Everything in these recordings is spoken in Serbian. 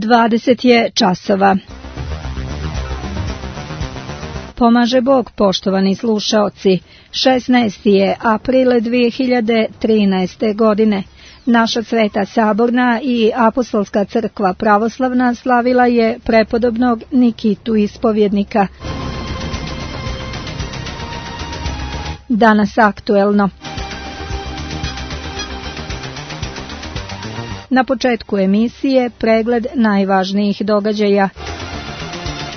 20 je časova. Pomaže Bog, poštovani slušaoci. 16. je april 2013. godine. Naša Sveta Saborna i Apostolska crkva pravoslavna slavila je prepodobnog Nikitu Ispovjednika. Danas aktuelno. Na početku emisije pregled najvažnijih događaja.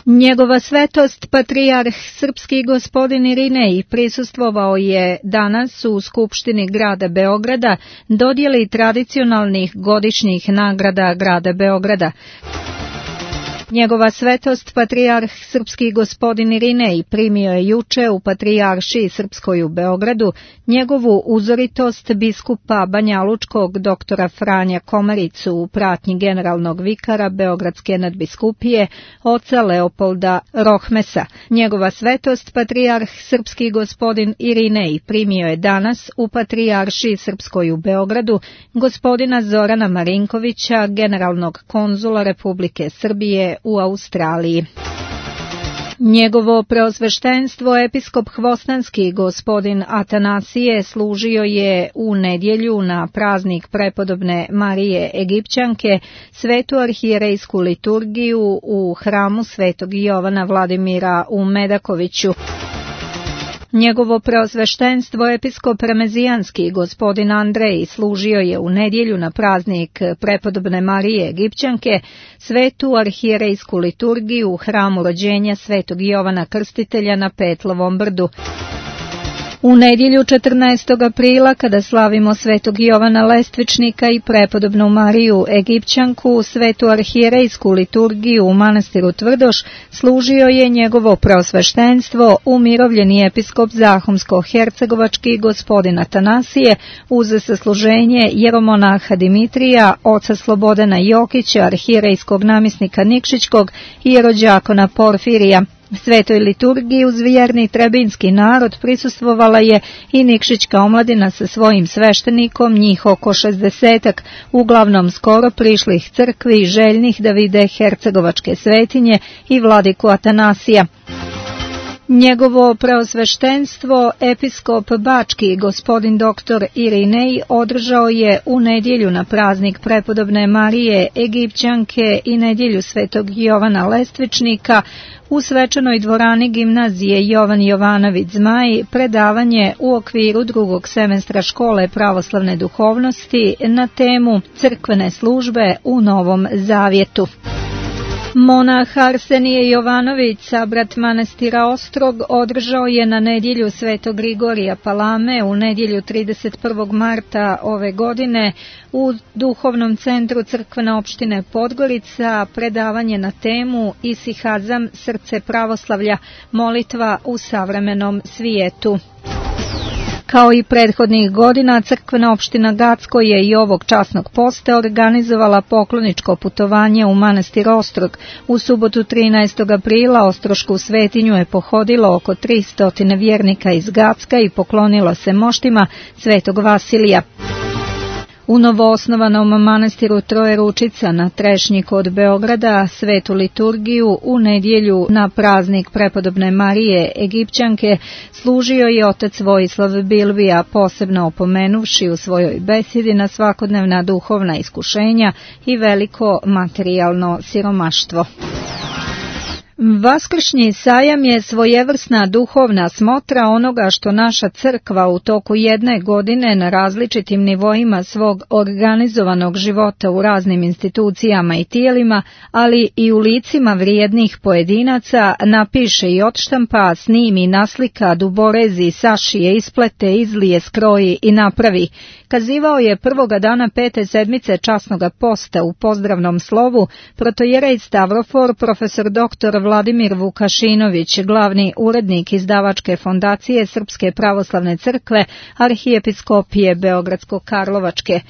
Njegova svetost, patrijarh srpski gospodin Irinej, prisustvovao je danas u Skupštini grada Beograda dodjeli tradicionalnih godišnjih nagrada grada Beograda. Njegova svetost, patrijarh srpski gospodin Irinej, primio je juče u Patrijaršiji srpskoj u Beogradu njegovu uzoritost biskupa banjalučkog doktora Franja Komaricu u pratnji generalnog vikara Beogradske nadbiskupije oca Leopolda Rohmesa. Njegova svetost, patrijarh srpski gospodin Irinej, primio je danas u Patrijaršiji srpskoj u Beogradu gospodina Zorana Marinkovića, generalnog konzula Republike Srbije u Australiji. Njegovo preosveštenstvo episkop Hvostanski gospodin Atanasije služio je u nedjelju na praznik prepodobne Marije Egipćanke svetu arhijerejsku liturgiju u hramu Svetog Jovana Vladimira u Medakoviću. Njegovo preosveštenstvo episkop Remezijanski gospodin Andrej služio je u nedjelju na praznik prepodobne Marije Egipćanke svetu arhijerejsku liturgiju u hramu rođenja Svetog Jovana Krstitelja na Petlovom brdu. U nedjelju 14. aprila, kada slavimo Svetog Jovana Lestvičnika i prepodobnu Mariju Egipćanku, svetu arhijerejsku liturgiju u manastiru Tvrdoš, služio je njegovo preosveštenstvo umirovljeni episkop Zahumsko-hercegovački gospodin Atanasije uz sasluženje jeromonaha Dimitrija, oca Slobodana Jokića, arhijerejskog namjesnika Nikšićkog i jerođakona Porfirija. Svetoj liturgiji uz vjerni trebinski narod prisustvovala je i Nikšićka omladina sa svojim sveštenikom, njih oko 60-ak, uglavnom skoro prišlih crkvi i željnih da vide hercegovačke svetinje i vladiku Atanasija. Njegovo preosveštenstvo episkop Bački gospodin doktor Irinej održao je u nedjelju na praznik prepodobne Marije Egipćanke i nedjelju Svetog Jovana Lestvičnika u svečanoj dvorani gimnazije Jovan Jovanović Zmaj predavanje u okviru drugog semestra škole pravoslavne duhovnosti na temu crkvene službe u Novom Zavjetu. Monah Arsenije Jovanović, sabrat manastira Ostrog, održao je na nedjelju Svetog Grigorija Palame u nedjelju 31. marta ove godine u duhovnom centru crkvene opštine Podgorica predavanje na temu Isihazam, srce pravoslavlja, molitva u savremenom svijetu. Kao i prethodnih godina, crkvena opština Gacko je i ovog časnog posta organizovala pokloničko putovanje u manastir Ostrog. U subotu 13. aprila Ostrošku svetinju je pohodilo oko 300 vjernika iz Gacka i poklonilo se moštima Svetog Vasilija. U novoosnovanom manastiru Troje Ručica na Trešnji kod Beograda svetu liturgiju u nedjelju na praznik prepodobne Marije Egipćanke služio je otac Vojislav Bilbija, posebno opomenuvši u svojoj besedi na svakodnevna duhovna iskušenja i veliko materijalno siromaštvo. Vaskršnji sajam je svojevrsna duhovna smotra onoga što naša crkva u toku jedne godine na različitim nivoima svog organizovanog života u raznim institucijama i tijelima, ali i u licima vrijednih pojedinaca napiše i odštampa, snimi, naslika, duborezi, sašije, isplete, izlije, skroji i napravi. Kazivao je prvoga dana 5. sedmice časnoga posta u pozdravnom slovu protojerej Stavrofor profesor dr. Vladimir Vukašinović, glavni urednik izdavačke fondacije Srpske pravoslavne crkve arhijepiskopije Beogradsko-Karlovačke.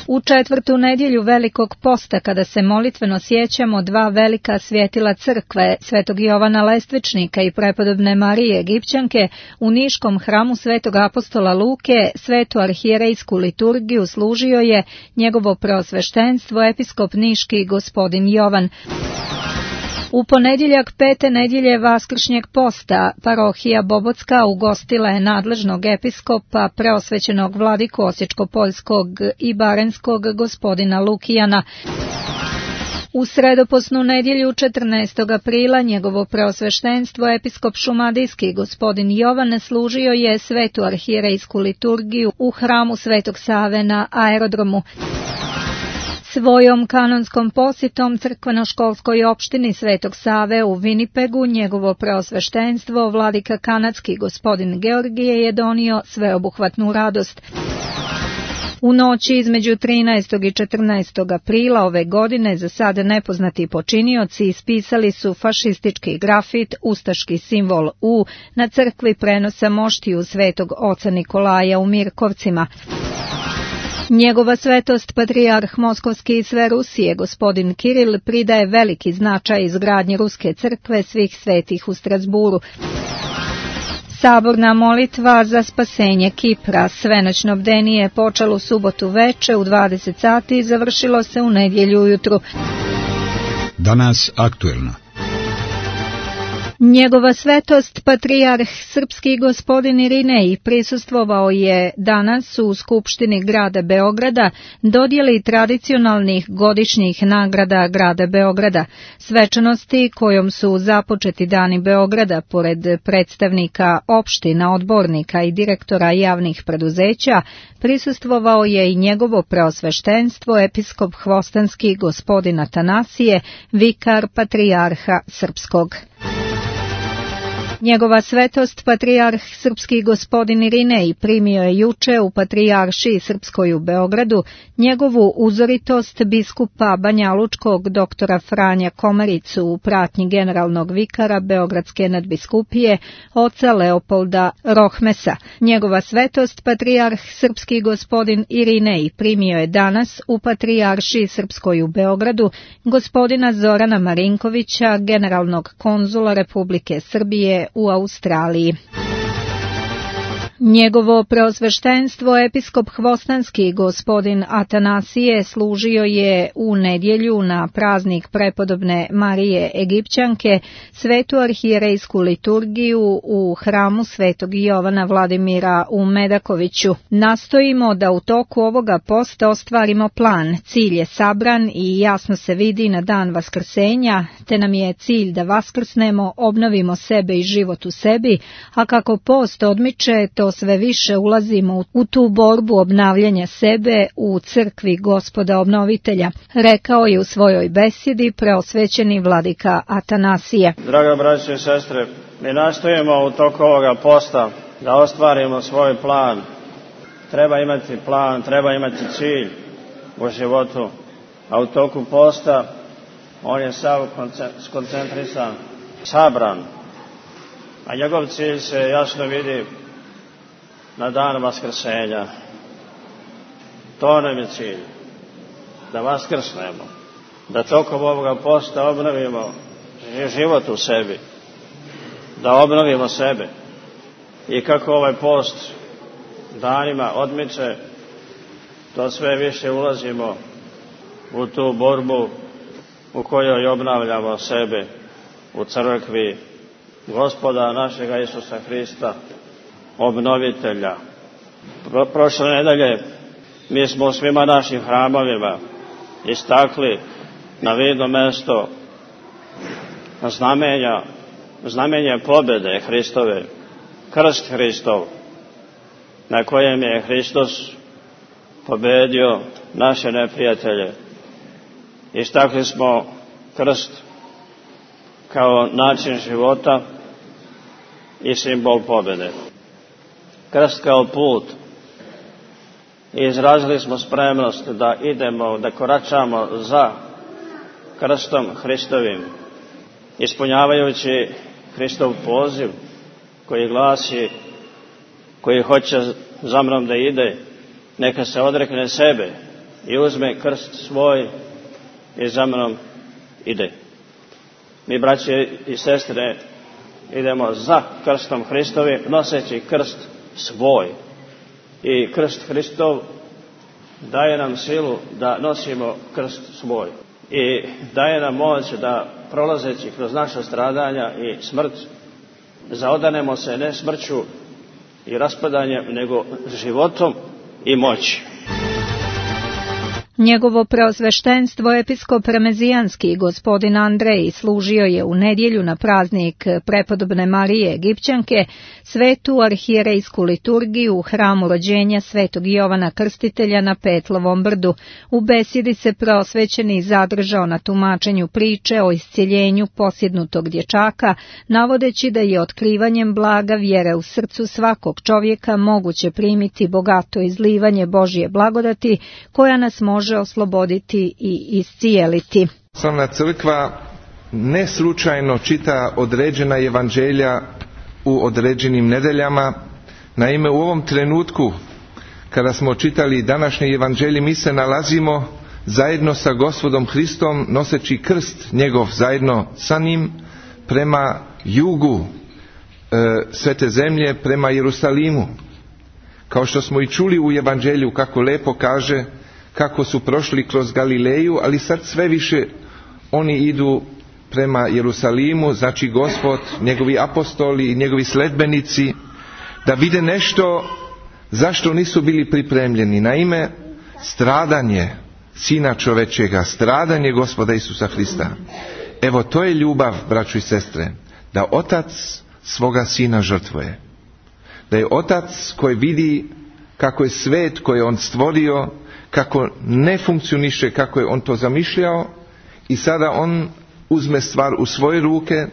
U četvrtu nedjelju Velikog posta, kada se molitveno sjećamo dva velika svjetila crkve, Svetog Jovana Lestvičnika i prepodobne Marije Egipćanke, u Niškom hramu Svetog apostola Luke svetu arhijerejsku liturgiju služio je njegovo preosveštenstvo episkop niški gospodin Jovan. U ponedjeljak pete nedjelje Vaskršnjeg posta parohija Bobotska ugostila je nadležnog episkopa preosvećenog vladiku Osječko-poljskog i Barenskog gospodina Lukijana. U sredoposnu nedjelju 14. aprila njegovo preosveštenstvo episkop šumadijski gospodin Jovan služio je svetu arhijerejsku liturgiju u hramu Svetog Save na aerodromu. Svojom kanonskom posjetom crkveno-školskoj opštini Svetog Save u Winnipegu njegovo preosveštenstvo vladika kanadski gospodin Georgije je donio sveobuhvatnu radost. U noći između 13. i 14. aprila ove godine za sad nepoznati počinioci ispisali su fašistički grafit, ustaški simbol U na crkvi prenosa moštiju Svetog oca Nikolaja u Mirkovcima. Njegova svetost patrijarh Moskovski i sve Rusije gospodin Kiril pridaje veliki značaj izgradnji Ruske crkve svih svetih u Strasburu. Saborna molitva za spasenje Kipra, svenoćno bdenije, počelo u subotu veče u 20 sati i završilo se u nedjelju ujutru. Danas aktuelno. Njegova svetost patrijarh srpski gospodin Irinej prisustvovao je danas u Skupštini grada Beograda dodjeli tradicionalnih godišnjih nagrada grada Beograda. Svečanosti kojom su započeti dani Beograda pored predstavnika opština, odbornika i direktora javnih preduzeća, prisustvovao je i njegovo preosveštenstvo episkop hvostanski gospodin Atanasije, vikar patrijarha srpskog. Njegova svetost patrijarh srpski gospodin Irinej primio je juče u patrijaršiji srpskoj u Beogradu njegovu uzoritost biskupa banjalučkog doktora Franja Komaricu u pratnji generalnog vikara Beogradske nadbiskupije oca Leopolda Rohmesa. Njegova svetost patrijarh srpski gospodin Irinej primio je danas u patrijaršiji srpskoj u Beogradu gospodina Zorana Marinkovića, generalnog konzula Republike Srbije u Australiji. Njegovo preosveštenstvo episkop hvostanski gospodin Atanasije služio je u nedjelju na praznik prepodobne Marije Egipćanke svetu arhijerejsku liturgiju u hramu Svetog Jovana Vladimira u Medakoviću. Nastojimo da u toku ovoga posta ostvarimo plan. Cilj je sabran i jasno se vidi na dan vaskrsenja, te nam je cilj da vaskrsnemo, obnovimo sebe i život u sebi, a kako post odmiče, to sve više ulazimo u tu borbu obnavljanja sebe u crkvi Gospoda obnovitelja, rekao je u svojoj besjedi preosvećeni vladika Atanasije. Draga braće i sestre, mi nastojimo u toku ovoga posta da ostvarimo svoj plan. Treba imati plan, treba imati cilj u životu, a u toku posta on je sav skoncentrisan, sabran, a njegov cilj se jasno vidi na dan vaskrsenja. To nam je cilj, da vaskrsnemo, da tokom ovoga posta obnovimo život u sebi, da obnovimo sebe. I kako ovaj post danima odmiče, to sve više ulazimo u tu borbu u kojoj obnavljamo sebe u crkvi Gospoda našega Isusa Hrista, obnovitelja. Prošle nedelje mi smo u svima našim hramovima istakli na vidno mesto znamenje pobjede Hristove, krst Hristov, na kojem je Hristos pobedio naše neprijatelje. Istakli smo krst kao način života i simbol pobjede. Krst kao put. I izrazili smo spremnost da idemo, da koračamo za krstom Hristovim, ispunjavajući Hristov poziv koji glasi, koji hoće za mnom da ide, neka se odrekne sebe, i uzme krst svoj i za mnom ide. Mi, braće i sestre, idemo za krstom Hristovim, noseći krst svoj. I krst Hristov daje nam silu da nosimo krst svoj. I daje nam moć da, prolazeći kroz naša stradanja i smrt, zaodanemo se ne smrću i raspadanjem, nego životom i moći. Njegovo preosveštenstvo episkop remezijanski gospodin Andrej služio je u nedjelju na praznik prepodobne Marije Egipćanke svetu arhijerejsku liturgiju u hramu rođenja svetog Jovana Krstitelja na Petlovom brdu. U besjedi se preosvećeni zadržao na tumačenju priče o iscjeljenju posjednutog dječaka, navodeći da je otkrivanjem blaga vjere u srcu svakog čovjeka moguće primiti bogato izlivanje Božje blagodati koja nas može osloboditi i iscijeliti. Pravoslavna crkva ne slučajno čita određena evanđelja u određenim nedeljama. Naime, u ovom trenutku kada smo čitali današnje evanđelje, mi se nalazimo zajedno sa Gospodom Hristom noseći krst njegov zajedno sa njim prema jugu svete zemlje, prema Jerusalimu. Kao što smo i čuli u evanđelju, kako lepo kaže kako su prošli kroz Galileju, ali sad sve više oni idu prema Jerusalimu, znači Gospod, njegovi apostoli i njegovi sledbenici, da vide nešto zašto nisu bili pripremljeni. Naime, stradanje Sina čovečega, stradanje Gospoda Isusa Hrista. Evo, to je ljubav, braćo i sestre, da Otac svoga Sina žrtvuje. Da je Otac koji vidi kako je svet koji je On stvorio, kako ne funkcioniše kako je On to zamišljao, i sada On uzme stvar u svoje ruke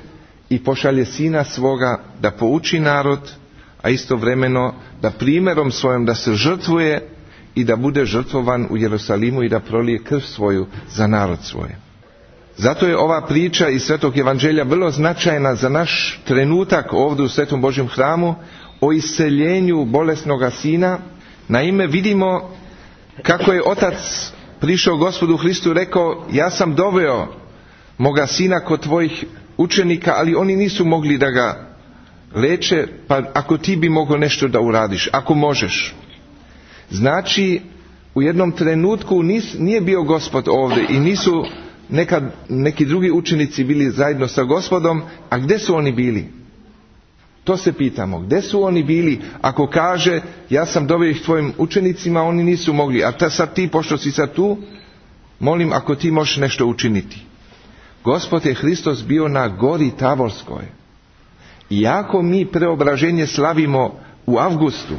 i pošalje Sina svoga da pouči narod, a istovremeno da primjerom svojom da se žrtvuje i da bude žrtvovan u Jerusalimu i da prolije krv svoju za narod svoj. Zato je ova priča iz Svetog evanđelja vrlo značajna za naš trenutak ovdje u Svetom Božjem hramu o isceljenju bolesnoga sina. Naime, vidimo kako je Otac prišao Gospodu Hristu i rekao: ja sam doveo moga sina kod tvojih učenika, ali oni nisu mogli da ga leče, pa ako ti bi mogao nešto da uradiš, ako možeš. Znači, u jednom trenutku nije bio Gospod ovdje i nisu neki drugi učenici bili zajedno sa Gospodom, a gdje su oni bili? To se pitamo, gdje su oni bili ako kaže ja sam doveo ih tvojim učenicima, oni nisu mogli, a sad ti, pošto si sad tu, molim ako ti možeš nešto učiniti. Gospod je Hristos bio na gori Tavorskoj. Iako mi preobraženje slavimo u avgustu,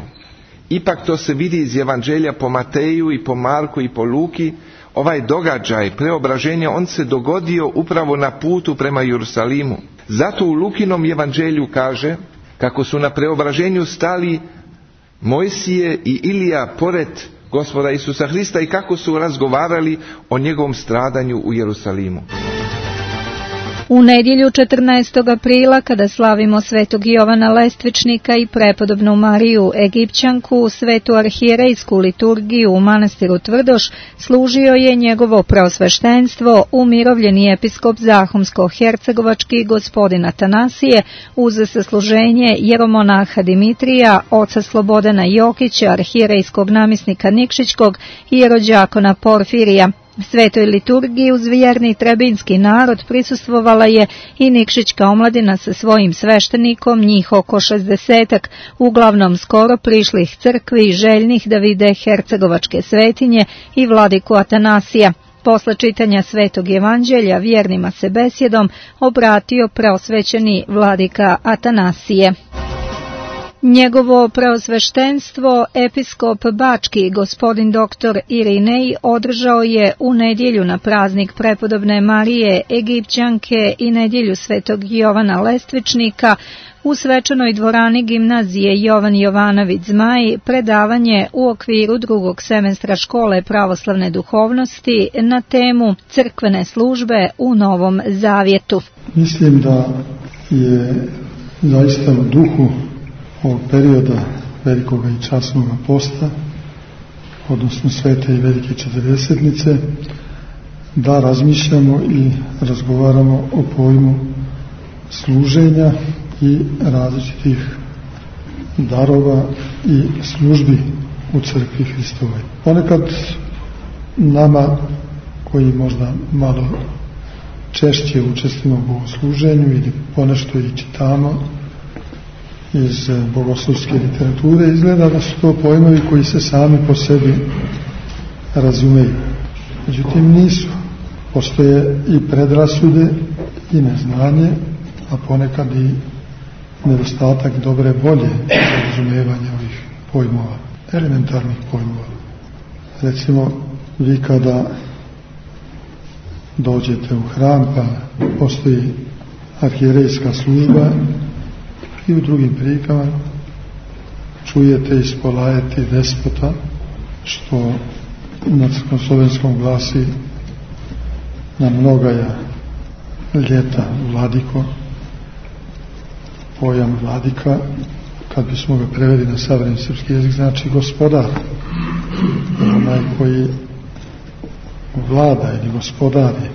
ipak to se vidi iz evanđelja po Mateju i po Marku i po Luki. Ovaj događaj preobraženja, on se dogodio upravo na putu prema Jerusalimu. Zato u Lukinom evanđelju kaže kako su na preobraženju stali Mojsije i Ilija pored Gospoda Isusa Hrista i kako su razgovarali o njegovom stradanju u Jerusalimu. U nedjelju 14. aprila, kada slavimo svetog Jovana Lestvičnika i prepodobnu Mariju Egipćanku, svetu arhijerejsku liturgiju u manastiru Tvrdoš, služio je njegovo preosveštenstvo umirovljeni episkop Zahumsko-hercegovački gospodin Atanasije uz sasluženje jeromonaha Dimitrija, oca Slobodana Jokića, arhijerejskog namjesnika Nikšićkog i jerođakona Porfirija. Svetoj liturgiji uz vjerni trebinski narod prisustvovala je i Nikšićka omladina sa svojim sveštenikom, njih oko 60-ak, uglavnom skoro prišlih crkvi, željnih da vide hercegovačke svetinje i vladiku Atanasija. Posle čitanja Svetog evanđelja vjernima se besjedom obratio preosvećeni vladika Atanasije. Njegovo preosveštenstvo episkop Bački gospodin dr. Irinej održao je u nedjelju na praznik prepodobne Marije Egipćanke i nedjelju svetog Jovana Lestvičnika u svečanoj dvorani gimnazije Jovan Jovanović Zmaj predavanje u okviru drugog semestra škole pravoslavne duhovnosti na temu crkvene službe u Novom Zavjetu. Mislim da je zaista u duhu ovog perioda velikoga i časnoga posta odnosno Svete i Velike Četrdesetnice, da razmišljamo i razgovaramo o pojmu služenja i različitih darova i službi u crkvi Hristovoj. Ponekad nama koji možda malo češće učestvujemo u bogosluženju ili ponešto i čitamo iz bogoslovske literature, izgleda da su to pojmovi koji se sami po sebi razumeju. Međutim, nisu. Postoje i predrasude i neznanje, a ponekad i nedostatak dobre volje za razumevanje ovih pojmova, elementarnih pojmova. Recimo, vi kada dođete u hram, pa postoji arhijerejska služba i u drugim prilikama čujete ispolajeti despota, što na crkvoslovenskom glasi na mnogaja ljeta vladiko. Pojam vladika, kad bismo ga preveli na savremeni srpski jezik, znači gospodar, onaj koji vlada ili gospodari.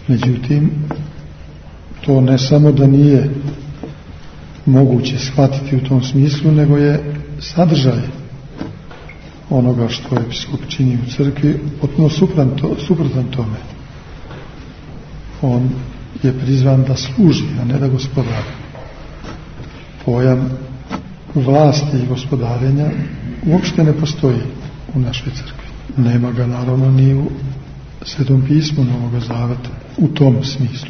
Međutim, to ne samo da nije moguće shvatiti u tom smislu, nego je sadržaj onoga što episkop čini u crkvi potpuno suprotan tome. On je prizvan da služi, a ne da gospodari. Pojam vlasti i gospodarenja uopšte ne postoji u našoj crkvi. Nema ga naravno ni u Svetom pismu Novoga Zaveta u tom smislu.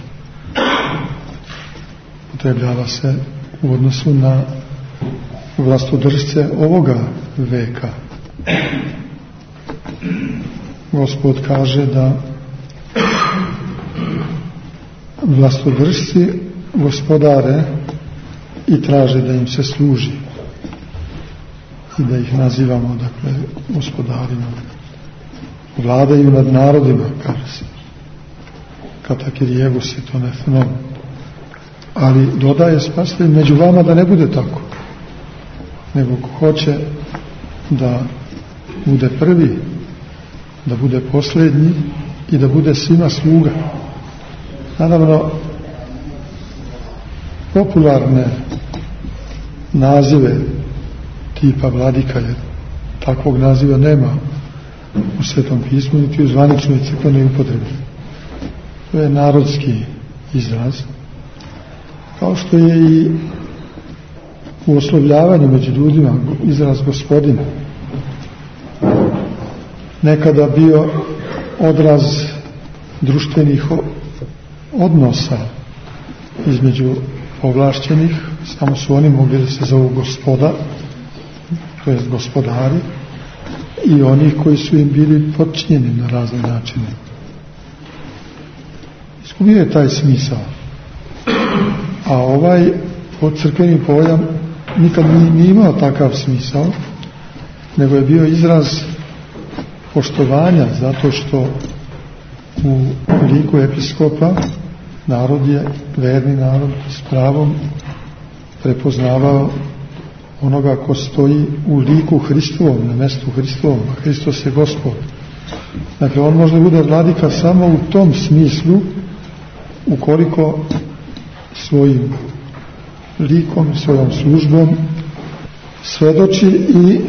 Upotrebljava se u odnosu na vlastodržce ovoga veka. Gospod kaže da vlastodržci gospodare i traže da im se služi i da ih nazivamo, dakle, gospodarima. Vladaju nad narodima, kaže se. Katakirijegus je to nefenom. Ali dodaje spasitelj među vama da ne bude tako, nego ko hoće da bude prvi, da bude posljednji i da bude svima sluga. Naravno, popularne nazive tipa vladika, jer takvog naziva nema u Svetom pismu niti u zvaničnoj crkvenoj upotrebi. To je narodski izraz, kao što je i u oslovljavanju među ljudima izraz gospodin nekada bio odraz društvenih odnosa između ovlašćenih, samo su oni mogli da se zovu gospoda, to jest gospodari, i oni koji su im bili podčinjeni na razne načine. Izgubio je taj smisao. A ovaj crkveni pojam nikad nije imao takav smisao, nego je bio izraz poštovanja, zato što u liku episkopa narod je, verni narod, s pravom prepoznavao onoga ko stoji u liku Hristovom, na mestu Hristovom, a Hristos je Gospod. Dakle, on može bude vladika samo u tom smislu ukoliko svojim likom, svojom službom svedoči i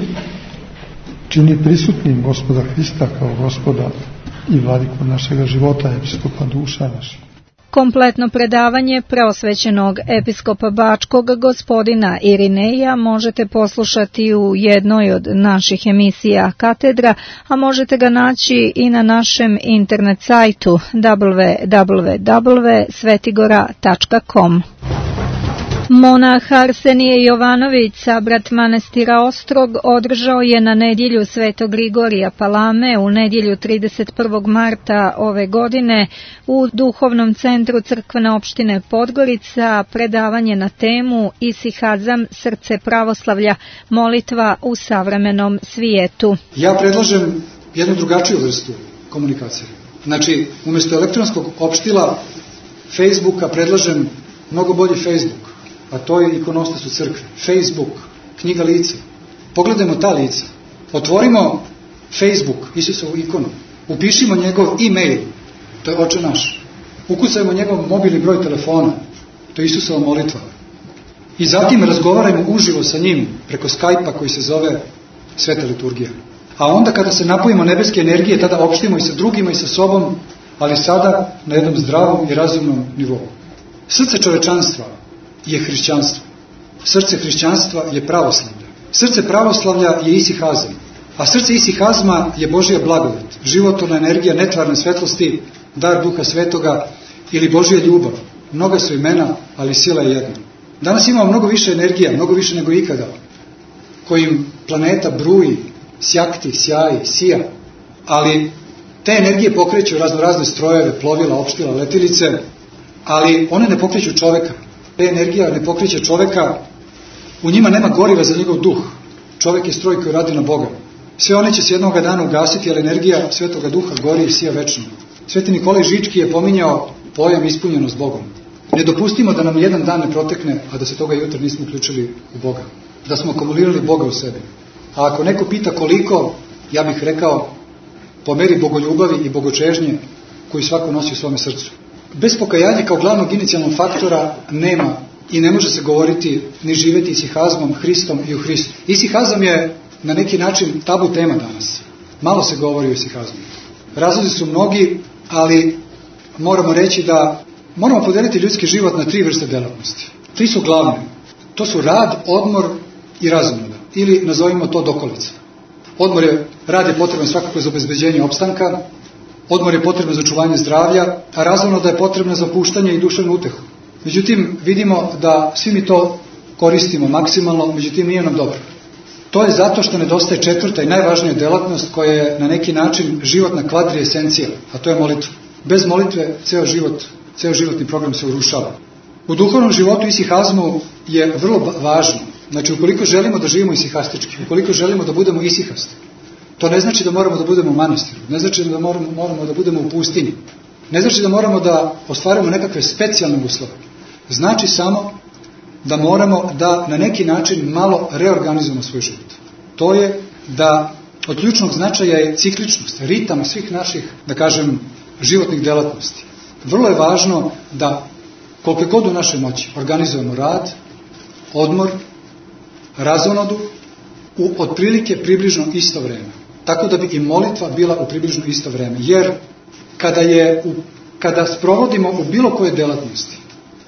čini prisutnim Gospoda Hrista kao Gospoda i vladiku našega života, episkopa duša naših. Kompletno predavanje preosvećenog episkopa Bačkog gospodina Irineja možete poslušati u jednoj od naših emisija Katedra, a možete ga naći i na našem internet sajtu www.svetigora.com. Monah Arsenije Jovanović, sabrat manastira Ostrog, održao je na nedjelju Svetog Grigorija Palame u nedjelju 31. marta ove godine u Duhovnom centru crkvene opštine Podgorica predavanje na temu Isihazam, srce pravoslavlja, molitva u savremenom svijetu. Ja predlažem jednu drugačiju vrstu komunikacije. Znači, umjesto elektronskog opštila Facebooka predlažem mnogo bolji Facebook. A to je ikonostas u crkvi. Facebook, knjiga lica. Pogledajmo ta lica. Otvorimo Facebook, Isusovu ikonu, upišimo njegov e-mail, to je Oče naš, ukucajmo njegov mobilni broj telefona, to je Isusova molitva, i zatim razgovarajmo uživo sa njim preko Skype-a koji se zove Sveta liturgija. A onda kada se napojimo nebeske energije, tada opštimo i sa drugima i sa sobom, ali sada na jednom zdravom i razumnom nivou. Srce čovečanstva je hrišćanstvo. Srce hrišćanstva je pravoslavlje. Srce pravoslavlja je isihazam. A srce isihazma je Božja blagodat, životvorna energija netvarne svetlosti, dar Duha Svetoga ili Božja ljubav. Mnoga su imena, ali sila je jedna. Danas imamo mnogo više energija, mnogo više nego ikada, kojim planeta bruji, sjakti, sjaji, sija, ali te energije pokreću razne strojeve, plovila, opštila, letilice, ali one ne pokreću čoveka. Te energija ne pokreće čoveka, u njima nema goriva za njegov duh. Čovek je stroj koji radi na Boga. Sve one će se jednog dana ugasiti, ali energija Svetoga Duha gori i sija večno. Sveti Nikolaj Žički je pominjao pojam ispunjenost Bogom. Ne dopustimo da nam jedan dan ne protekne, a da se toga jutra nismo uključili u Boga. Da smo akumulirali Boga u sebi. A ako neko pita koliko, ja bih rekao po meri bogoljubavi i bogočežnje koju svako nosi u svome srcu. Bez pokajanja kao glavnog inicijalnog faktora nema i ne može se govoriti ni živeti isihazmom, Hristom i u Hristu. Isihazam je na neki način tabu tema danas. Malo se govori o isihazmu. Razlozi su mnogi, ali moramo reći da moramo podeliti ljudski život na 3 vrste delatnosti. 3 su glavne. To su rad, odmor i razonoda. Ili nazovimo to dokolica. Rad je potreban svakako za obezbeđenje opstanka, odmor je potreban za očuvanje zdravlja, a razonoda je potrebna za opuštanje i duševnu utehu. Međutim, vidimo da svi mi to koristimo maksimalno, međutim nije nam dobro. To je zato što nedostaje 4. i najvažnija delatnost koja je na neki način životna kvadriesencija, a to je molitva. Bez molitve ceo životni program se urušava. U duhovnom životu isihazmu je vrlo važno. Znači, ukoliko želimo da živimo isihastički, ukoliko želimo da budemo isihasti, to ne znači da moramo da budemo u manastiru, ne znači da moramo da budemo u pustinji, ne znači da moramo da ostvarimo nekakve specijalne uslove. Znači samo da moramo da na neki način malo reorganizujemo svoj život. To je da od ključnog značaja je cikličnost, ritam svih naših, da kažem, životnih delatnosti. Vrlo je važno da koliko god u našoj moći organizujemo rad, odmor, razonodu u otprilike približno isto vreme. Tako da bi i molitva bila u približno isto vreme. Jer kada sprovodimo u bilo koje delatnosti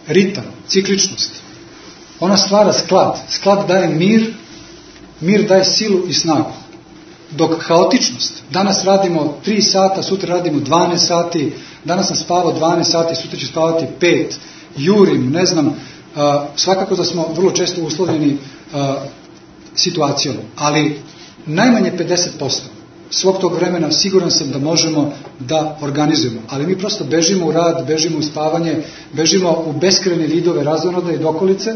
ritam, cikličnost, ona stvara sklad. Sklad daje mir daje silu i snagu. Dok haotičnost, danas radimo 3 sata, sutra radimo 12 sati, danas sam spavao 12 sati, sutra ću spavati 5, jurim, ne znam, svakako da smo vrlo često uslovljeni situacijom, ali najmanje 50% svog tog vremena siguran sam da možemo da organizujemo, ali mi prosto bežimo u rad, bežimo u spavanje, bežimo u beskrajne vidove razonode i dokolice,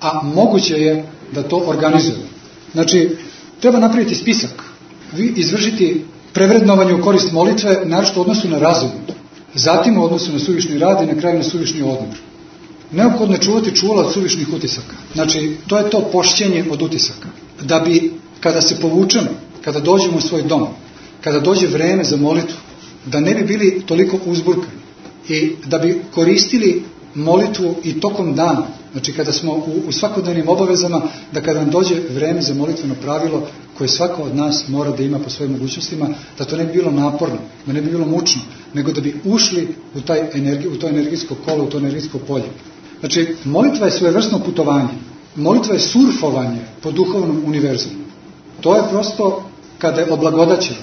a moguće je da to organizujemo. Znači, treba napraviti spisak, izvršiti prevrednovanje u korist molitve, naročito u odnosu na razum, zatim u odnosu na suvišni rad i na kraju na suvišni odmor. Neophodno je čuvati čula od suvišnih utisaka. Znači, to je to pošćenje od utisaka. Da bi, kada se povučemo, kada dođemo u svoj dom, kada dođe vreme za molitvu, da ne bi bili toliko uzburkani i da bi koristili molitvu i tokom dana. Znači, kada smo u svakodnevnim obavezama, da kada nam dođe vreme za molitveno pravilo koje svako od nas mora da ima po svojim mogućnostima, da to ne bi bilo naporno, da ne bi bilo mučno, nego da bi ušli u to energijsko kolo, u to energijsko polje. Znači, molitva je svojevrsno putovanje. Molitva je surfovanje po duhovnom univerzumu. To je prosto kada je oblagodaćeno.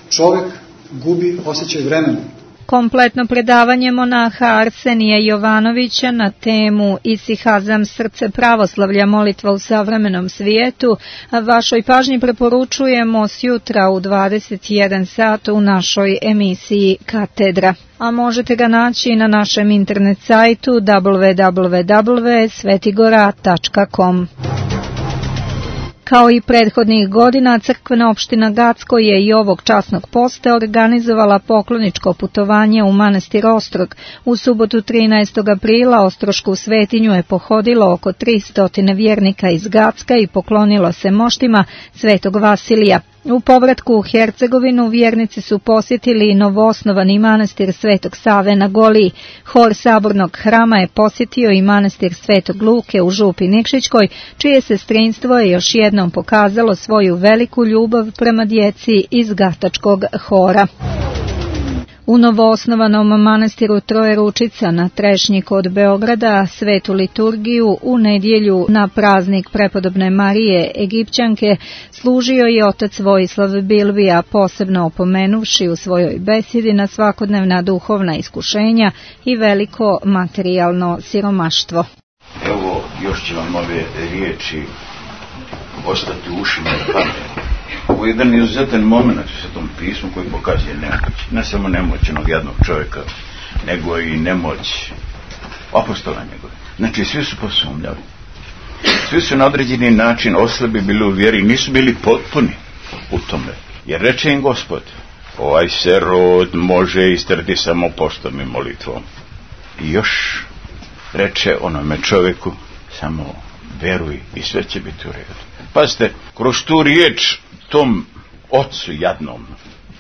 Čovjek gubi osjećaj vremena. Kompletno predavanje monaha Arsenija Jovanovića na temu Isihazam, srce pravoslavlja, molitva u savremenom svijetu vašoj pažnji preporučujemo sjutra u 21 sat u našoj emisiji Katedra. A možete ga naći na našem internet sajtu www.svetigora.com. Kao i prethodnih godina, crkvena opština Gacko je i ovog časnog posta organizovala pokloničko putovanje u manastir Ostrog. U subotu 13. aprila Ostrošku svetinju je pohodilo oko 300 vjernika iz Gacka i poklonilo se moštima Svetog Vasilija. U povratku u Hercegovinu vjernici su posjetili novoosnovani manastir Svetog Save na Goliji. Hor sabornog hrama je posjetio i manastir Svetog Luke u Župi Nikšićkoj, čije sestrinstvo je još jednom pokazalo svoju veliku ljubav prema djeci iz Gatačkog hora. U novoosnovanom manastiru Trojeručica na Trešnji kod Beograda svetu liturgiju u nedjelju na praznik prepodobne Marije Egipćanke služio je otac Vojislav Bilbija, posebno opomenuvši u svojoj besedi na svakodnevna duhovna iskušenja i veliko materijalno siromaštvo. Evo, još će vam ove riječi ostati u ušima i pameti. Ovo je jedan izuzetan moment u Svetom pismu koji pokazuje nemoć. Ne samo nemoć onog jednog čovjeka, nego i nemoć apostola njegove. Znači, svi su posumnjali. Svi su na određeni način oslabi bili u vjeri, nisu bili potpuni u tome. Jer reče im Gospod, ovaj se rod može istrati samo postom i molitvom. I još reče onome čovjeku, samo veruj i sve će biti u redu. Pazite, kroz tu riječ tom ocu jadnom,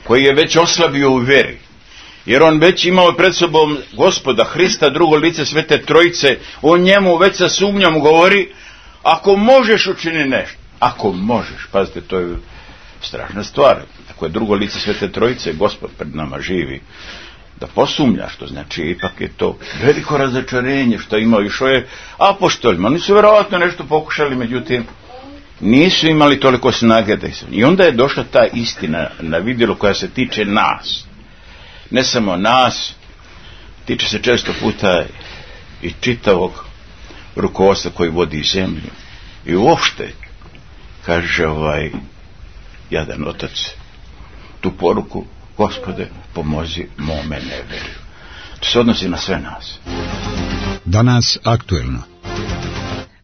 koji je već oslabio u veri, jer on već imao pred sobom Gospoda Hrista, drugo lice Svete Trojice, on njemu već sa sumnjom govori, ako možeš učini nešto, ako možeš, pazite, to je strašna stvar, ako je drugo lice Svete Trojice, Gospod pred nama živi, da posumlja, što znači ipak je to veliko razočarenje što imao i što je apostolima, oni su vjerovatno nešto pokušali, međutim nisu imali toliko snage da i onda je došla ta istina na vidjelo koja se tiče nas, ne samo nas, tiče se često puta i čitavog rukovodstva koji vodi zemlju i uopšte kaže jadan otac tu poruku, Gospode pomozi mome neverju. To se odnosi na sve nas. Danas aktuelno.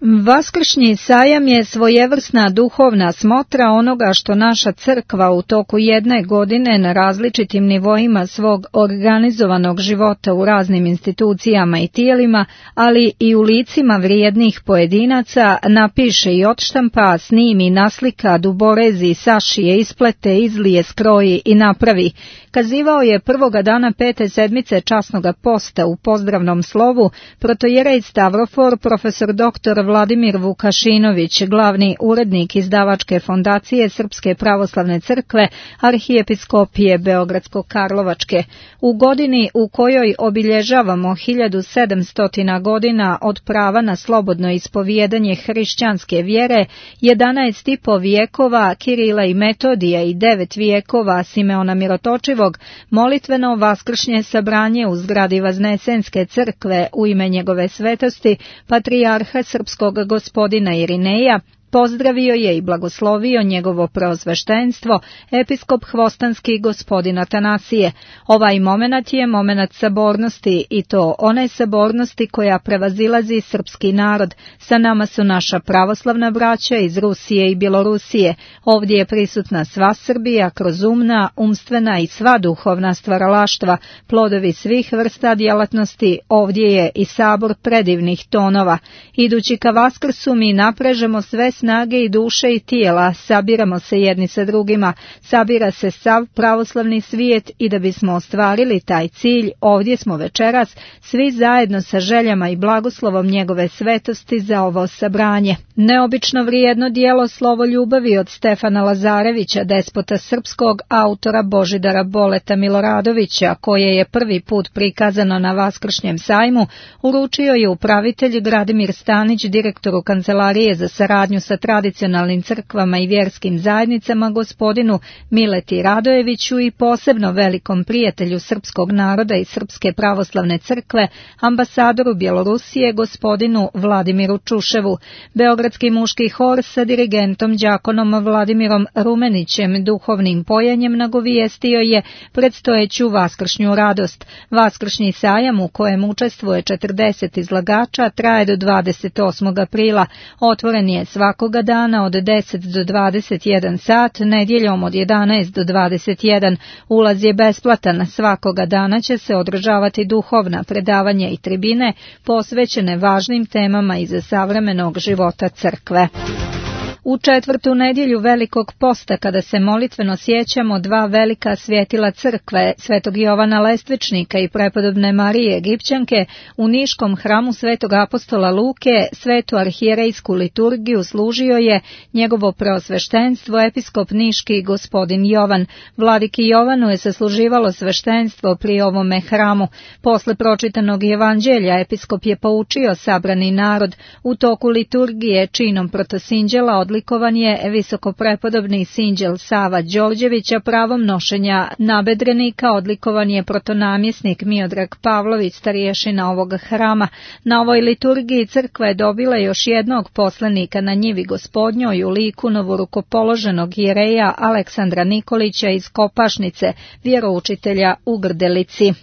Vaskršnji sajam je svojevrsna duhovna smotra onoga što naša crkva u toku jedne godine na različitim nivoima svog organizovanog života u raznim institucijama i tijelima, ali i u licima vrijednih pojedinaca napiše i odštampa, snimi, naslika, duborezi, sašije, isplete, izlije, skroji i napravi. Kazivao je prvoga dana 5. sedmice časnoga posta u pozdravnom slovu protojerej Stavrofor, profesor dr. Vladimir Vukašinović, glavni urednik izdavačke fondacije Srpske pravoslavne crkve Arhijepiskopije Beogradsko-Karlovačke. U godini u kojoj obilježavamo 1700 godina od prava na slobodno ispovijedanje hrišćanske vjere, 11,5 vijekova Kirila i Metodija i 9 vijekova Simeona Mirotočivog, molitveno vaskršnje sabranje u zgradi Vaznesenske crkve u ime njegove svetosti, patrijarha srpskog gospodina Irineja, pozdravio je i blagoslovio njegovo preosveštenstvo, episkop hvostanski gospodin Atanasije. Ovaj momenat je momenat sabornosti i to one sabornosti koja prevazilazi srpski narod. Sa nama su naša pravoslavna braća iz Rusije i Bjelorusije. Ovdje je prisutna sva Srbija kroz umna, umstvena i sva duhovna stvaralaštva, plodovi svih vrsta djelatnosti. Ovdje je i sabor predivnih tonova. Idući ka Vaskrsu mi naprežemo sve snage i duše i tijela, sabiramo se jedni sa drugima, sabira se sav pravoslavni svijet i da bismo ostvarili taj cilj, ovdje smo večeras svi zajedno sa željama i blagoslovom njegove svetosti za ovo sabranje. Neobično vrijedno djelo Slovo ljubavi od Stefana Lazarevića, despota srpskog, autora Božidara Boleta Miloradovića, koje je prvi put prikazano na Vaskršnjem sajmu, uručio je upravitelj Gradimir Stanić, direktoru Kancelarije za saradnju sa tradicionalnim crkvama i vjerskim zajednicama gospodinu Mileti Radojeviću i posebno velikom prijatelju srpskog naroda i Srpske pravoslavne crkve, ambasadoru Bjelorusije gospodinu Vladimiru Čuševu. Beogradski muški hor sa dirigentom đakonom Vladimirom Rumenićem duhovnim pojanjem nagovijestio je predstojeću vaskršnju radost. Vaskršnji sajam u kojem učestvuje 40 izlagača traje do 28. aprila. Otvoren je svako svakoga dana od 10 do 21 sat, nedjeljom od 11 do 21. Ulaz je besplatan. Svakoga dana će se održavati duhovna predavanja i tribine posvećene važnim temama iz savremenog života crkve. U četvrtu nedjelju Velikog posta, kada se molitveno sjećamo dva velika svjetila crkve, svetog Jovana Lestvičnika i prepodobne Marije Egipćanke, u Niškom hramu svetog apostola Luke svetu arhijerejsku liturgiju služio je njegovo preosveštenstvo episkop niški gospodin Jovan. Vladiki Jovanu je sasluživalo sveštenstvo pri ovome hramu. Posle pročitanog evanđelja episkop je poučio sabrani narod. U toku liturgije činom protosinđela odlikovan je visokoprepodobni sinđel Sava Đorđevića, pravom nošenja nabedrenika odlikovan je protonamjesnik Miodrag Pavlović, starješina ovog hrama. Na ovoj liturgiji crkva je dobila još jednog poslanika na njivi Gospodnjoj u liku novorukopoloženog jereja Aleksandra Nikolića iz Kopašnice, vjeroučitelja u Grdelici.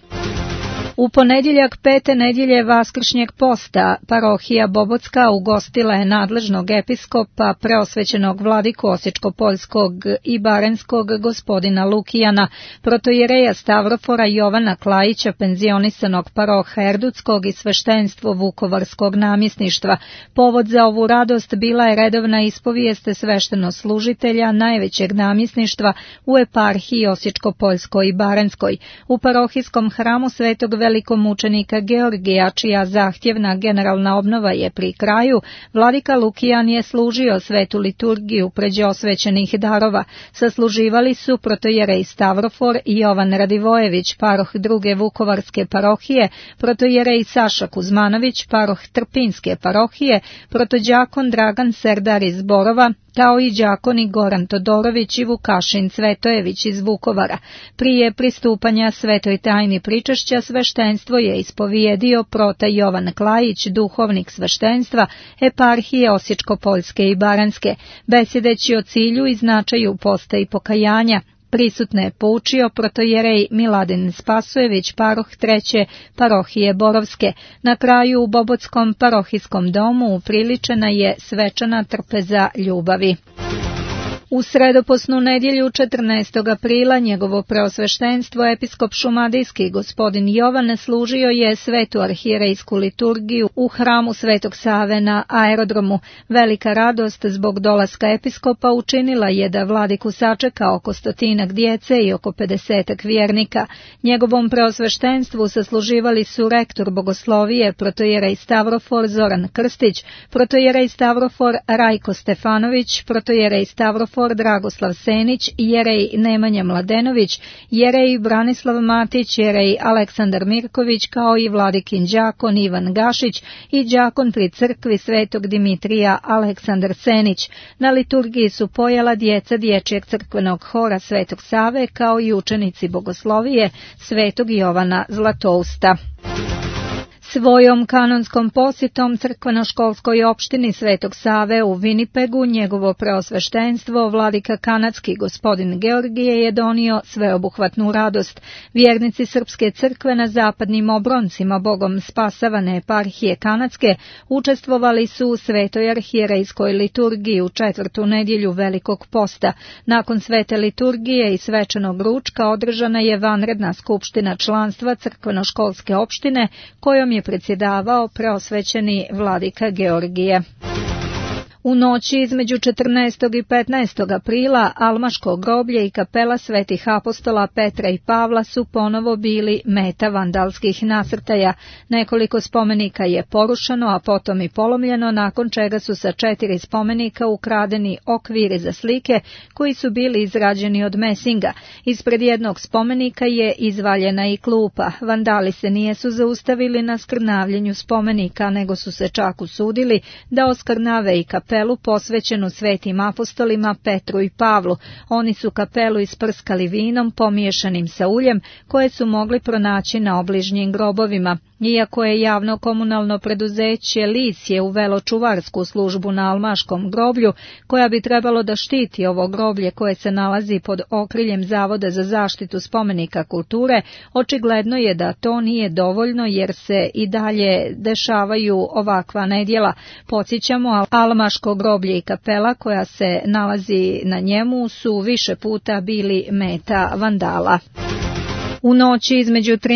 U ponedjeljak pete nedjelje Vaskršnjeg posta parohija Bobotska ugostila je nadležnog episkopa preosvećenog vladiku Osječko-Poljskog i Barenskog gospodina Lukijana, protojereja Stavrofora Jovana Klajića, penzionisanog paroha Erdutskog i sveštenstvo Vukovarskog namjesništva. Povod za ovu radost bila je redovna ispovijest sveštenoslužitelja najvećeg namjesništva u eparhiji Osječko-Poljskoj i Barenskoj. U parohijskom hramu svetog velikomučenika Georgija, čija zahtjevna generalna obnova je pri kraju, vladika Lukijan je služio svetu liturgiju pređe osvećenih darova. Sasluživali su protojerej Stavrofor i Jovan Radivojević, paroh druge Vukovarske parohije, protojerej Saša Kuzmanović, paroh Trpinske parohije, protođakon Dragan Serdar iz Borova, kao i đakoni Goran Todorović i Vukašin Cvetojević iz Vukovara. Prije pristupanja svetoj tajni pričešća sveštenstvo je ispovijedio prota Jovan Klajić, duhovnik sveštenstva eparhije Osječko-Poljske i Baranjske, besjedeći o cilju i značaju posta i pokajanja. Prisutne je poučio protojerej Miladin Spasojević, paroh treće parohije Borovske. Na kraju u Bobotskom parohijskom domu upriličena je svečana trpeza ljubavi. U sredoposnu nedjelju 14. aprila njegovo preosveštenstvo episkop šumadijski gospodin Jovan služio je svetu arhijerejsku liturgiju u hramu Svetog Save na aerodromu. Velika radost zbog dolaska episkopa učinila je da vladiku sačeka oko 100 djece i oko 50 vjernika. Njegovom preosveštenstvu sasluživali su rektor bogoslovije protojerej Stavrofor Zoran Krstić, protojerej Stavrofor Rajko Stefanović, protojerej Stavrofor Dragoslav Senić, jerej Nemanja Mladenović, jerej Branislav Matić, jerej Aleksandar Mirković, kao i vladikin đakon Ivan Gašić i đakon pri crkvi Svetog Dimitrija Aleksandar Senić. Na liturgiji su pojela djeca dječjeg crkvenog hora Svetog Save, kao i učenici bogoslovije Svetog Jovana Zlatousta. Svojom kanonskom posjetom crkveno-školskoj opštini Svetog Save u Winnipegu njegovo preosveštenstvo vladika kanadski gospodin Georgije je donio sveobuhvatnu radost. Vjernici Srpske crkve na zapadnim obroncima Bogom spasavane eparhije kanadske učestvovali su u svetoj arhijerejskoj liturgiji u četvrtu nedjelju Velikog posta. Nakon svete liturgije i svečanog ručka održana je vanredna skupština članstva crkveno-školske opštine kojom je predsjedavao preosvećeni vladika Georgije. U noći između 14. i 15. aprila Almaško groblje i kapela svetih apostola Petra i Pavla su ponovo bili meta vandalskih nasrtaja. Nekoliko spomenika je porušeno, a potom i polomljeno, nakon čega su sa 4 spomenika ukradeni okviri za slike koji su bili izrađeni od mesinga. Ispred jednog spomenika je izvaljena i klupa. Vandali se nijesu zaustavili na skrnavljenju spomenika, nego su se čak usudili da oskrnave i kapelu posvećenu svetim apostolima Petru i Pavlu. Oni su kapelu isprskali vinom pomiješanim sa uljem koje su mogli pronaći na obližnjim grobovima. Iako je javno komunalno preduzeće Lisje uvelo čuvarsku službu na Almaškom groblju, koja bi trebalo da štiti ovo groblje koje se nalazi pod okriljem Zavoda za zaštitu spomenika kulture, očigledno je da to nije dovoljno jer se i dalje dešavaju ovakva nedjela. Podsjećamo, Almaško Paško groblje i kapela koja se nalazi na njemu su više puta bili meta vandala. U noći između 13.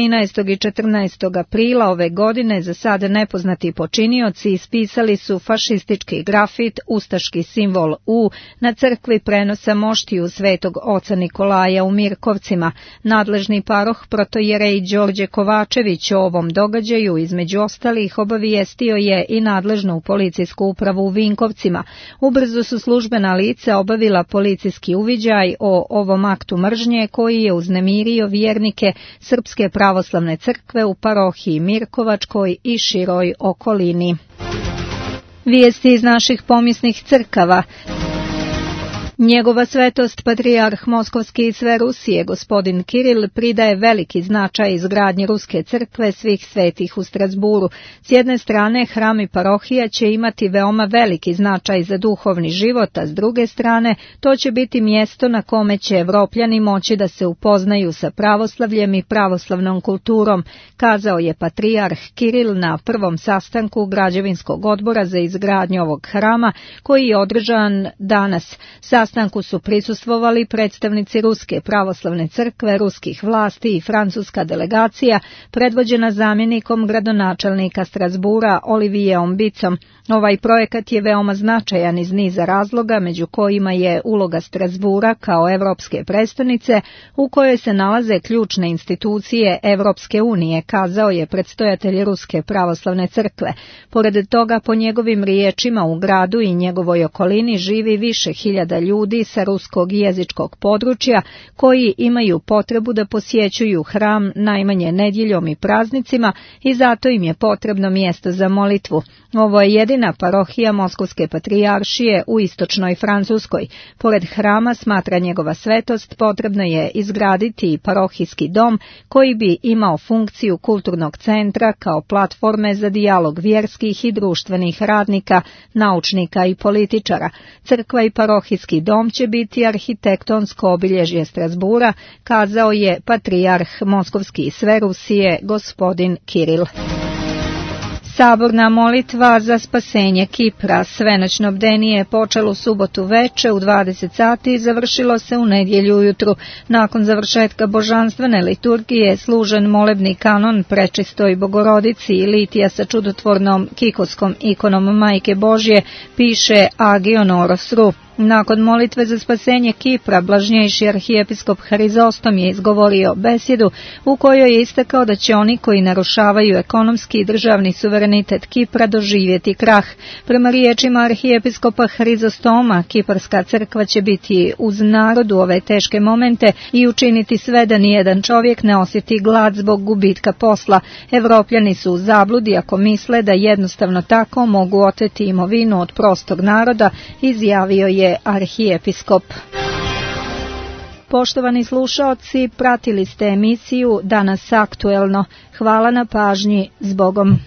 i 14. aprila ove godine za sada nepoznati počinioci ispisali su fašistički grafit, ustaški simbol U na crkvi prenosa moštiju Svetog oca Nikolaja u Mirkovcima. Nadležni paroh protojerej Đorđe Kovačević o ovom događaju između ostalih obavijestio je i nadležnu policijsku upravu u Vinkovcima. Ubrzo su službena lica obavila policijski uviđaj o ovom aktu mržnje koji je uznemirio vjernike Srpske pravoslavne crkve u parohiji Mirkovačkoj i široj okolini. Vijesti iz naših pomisnih crkava. Njegova svetost patrijarh Moskovski i sve Rusije, gospodin Kiril, pridaje veliki značaj izgradnji Ruske crkve svih svetih u Strasburu. S jedne strane, hram i parohija će imati veoma veliki značaj za duhovni život, a s druge strane, to će biti mjesto na kome će Evropljani moći da se upoznaju sa pravoslavljem i pravoslavnom kulturom, kazao je patrijarh Kiril na prvom sastanku građevinskog odbora za izgradnju ovog hrama, koji je održan danas. Sastanku su prisustvovali predstavnici Ruske pravoslavne crkve, ruskih vlasti i francuska delegacija, predvođena zamjenikom gradonačelnika Strasbura Olivijeom Bicom. Ovaj projekat je veoma značajan iz niza razloga, među kojima je uloga Strasbura kao evropske prestonice, u kojoj se nalaze ključne institucije Evropske unije, kazao je predstojatelj Ruske pravoslavne crkve. Pored toga, po njegovim riječima, u gradu i njegovoj okolini živi više hiljada ljudi sa ruskog jezičkog područja koji imaju potrebu da posjećuju hram najmanje nedjeljom i praznicima i zato im je potrebno mjesto za molitvu. Ovo je jedina parohija Moskovske patrijaršije u istočnoj Francuskoj. Pored hrama, smatra njegova svetost, potrebno je izgraditi parohijski dom koji bi imao funkciju kulturnog centra kao platforme za dijalog vjerskih i društvenih radnika, naučnika i političara. Crkva i parohijski dom će biti arhitektonsko obilježje Strasbura, kazao je patrijarh Moskovski i sve Rusije, gospodin Kiril. Saborna molitva za spasenje Kipra. Svenoćno bdenije je počelo u subotu veče u 20 sati i završilo se u nedjelju ujutru. Nakon završetka božanstvene liturgije služen molebni kanon Prečistoj Bogorodici i litija sa čudotvornom kikoskom ikonom Majke Božje, piše Agion Oros Ru. Nakon molitve za spasenje Kipra, blažnjejši arhijepiskop Harizostom je izgovorio besjedu u kojoj je istakao da će oni koji narušavaju ekonomski i državni suverenitet Kipra doživjeti krah. Prema riječima arhijepiskopa Harizostoma, Kiparska crkva će biti uz narod u ove teške momente i učiniti sve da nijedan čovjek ne osjeti glad zbog gubitka posla. Evropljani su u zabludi ako misle da jednostavno tako mogu oteti imovinu od prostog naroda, izjavio je arhijepiskop. Poštovani slušaoci, pratili ste emisiju Danas aktuelno. Hvala na pažnji, zbogom.